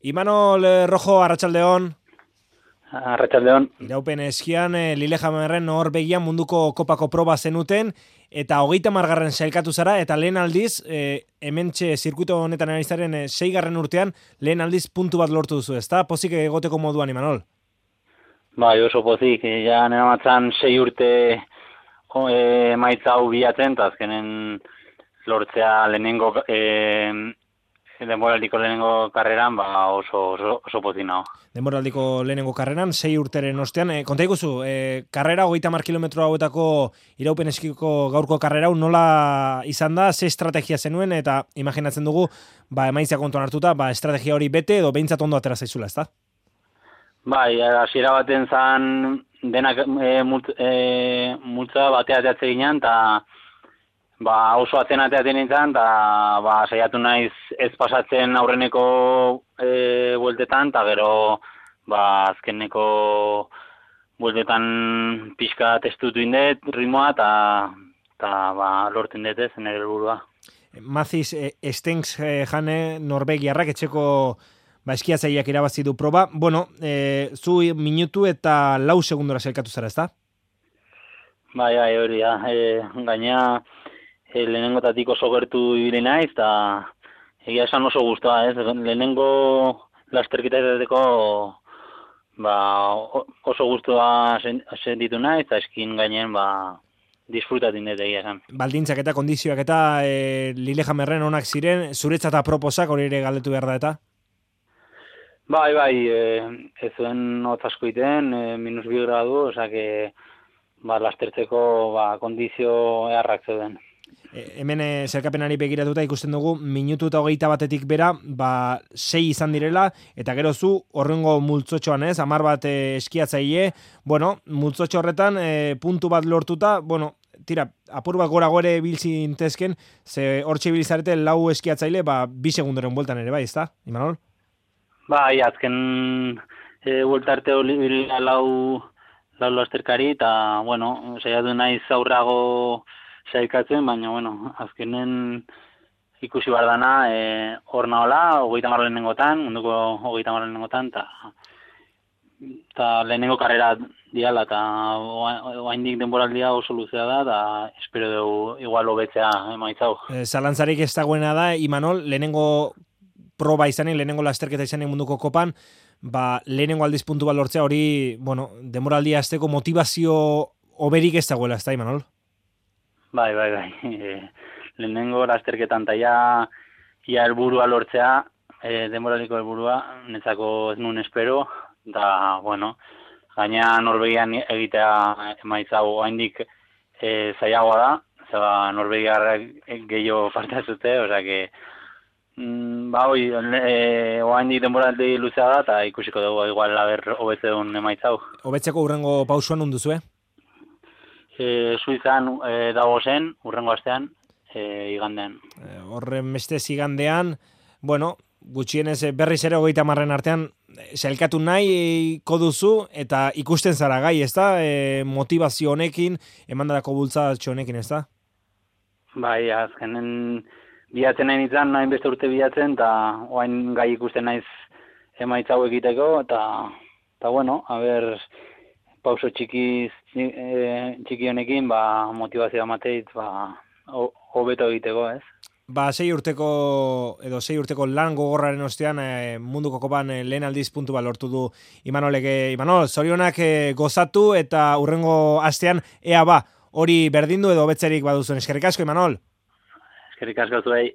Imanol Rojo, Arratsaldeon. Arratsaldeon. Iraupen eskian Lillehammerren Norvegian munduko kopako proba zenuten eta 30. sailkatu zara eta lehen aldiz hementxe zirkuito honetan ari zaren 6. urtean lehen aldiz puntu bat lortu duzu, ezta? Pozik egoteko moduan, Imanol. Bai, oso pozik, ja neramatzan 6 urte emaitza hau bilatzen, eta azkenen lortzea lehenengo denboraldiko lehenengo karreran, oso pozik nago. Denboraldiko lehenengo karreran, 6 urteren ostean. Konta iguzu, karrera 30 kilometro hauetako iraupen eskiko gaurko karrera hau nola izan da, ze estrategia zenuen, eta imaginatzen dugu, emaitza kontuan hartuta, estrategia hori bete edo behintzat ondo atera zaizula, ezta? Bai, hasiera baten zan denak multza batea ateatze ginen, eta oso ateaten nintzen, eta saiatu naiz ez pasatzen aurreneko bueltetan, eta gero azkeneko bueltetan pixka testutu indet, ritmoa, eta lortu indet ez, nire helburua. Mathies Stengs jane Norvegiarrak etxeko eskiatzaileak irabazi du proba. Bueno, zu minutu eta 4 segundora sailkatu zara, ezta? Bai, hori da. Gaina lehenengotatik oso gertu ibili naiz, eta egia esan oso guztua, ez? Lehenengo lasterketateteko oso guztua sentitu naiz, eta eskin gainen disfrutatin dut egia esan. Baldintzak eta kondizioak eta Lillehammerren onak ziren, zuretzat aproposak hori ere galdetu behar da eta? Bai, ez zuen hotz asko iten, -2 gradu, osak lastertzeko kondizio eharrak zeuden. Hemen zerkapenari begiratuta ikusten dugu, minutu eta 21 bera, 6 izan direla, eta gero zu horrengo multzotxoan ez, 10 bat eskiatzaile, multzotxo horretan puntu bat lortuta, apur bat gora gore biltzintezken, ze hortxe bilizarete 4 eskiatzaile, 2 segundoren bueltan ere bai, ezta, Imanol? Bai, azken bueltarte hori lau lasterkari, eta, saiatu naiz aurrago sailkatzen, baina, azkenen ikusi behar dana, hor nahola, 30 lehenengotan, munduko 30 lehenengotan, eta lehenengo karrera diala, eta oaindik denboraldia oso luzea da, eta espero dugu igual hobetzea emaitzau. Zalantzarik ez dagoena da, Imanol, lehenengo proba izanen, lehenengo lasterketa izanen munduko kopan, lehenengo aldiz puntu bat lortzea hori, denboraldia azteko motivazio oberik ez dagoela, ez da, Imanol? Bai. Lehenengo lasterketan eta ia helburua lortzea, denboraliko helburua, netzako ez nuen espero, eta, gaina Norvegian egitea emaitza oaindik zailagoa da, zaba Norvegiarrak gehiago parte hartzute, osake, oaindik denboraldi luzea da, eta ikusiko dugu igual hobetze duen emaitza hau. Hobetzeko hurrengo pausuan unduzu, Suizan dago zen, urrengo astean, igandean. Horren bestez igandean, gutxienez berriz ere 30 artean sailkatu nahi koduzu eta ikusten zara gai, ezta? Motivazio honekin, emandako bultzatxo honekin, ezta? Bai, azkenen bilatzen nahi nintzen, nahi beste urte bilatzen, eta oain gai ikusten naiz emaitza hau egiteko, eta pauso txiki honekin, motivazioa mateit, hobeto egiteko, ez? 6 urteko lan gogorraren ostean munduko kopan lehen aldiz puntu bat lortu du Imanol, zorionak gozatu eta hurrengo astean ea hori berdindu edo hobetzerik baduzuen. Eskerrik asko, Imanol? Eskerrik asko zuei.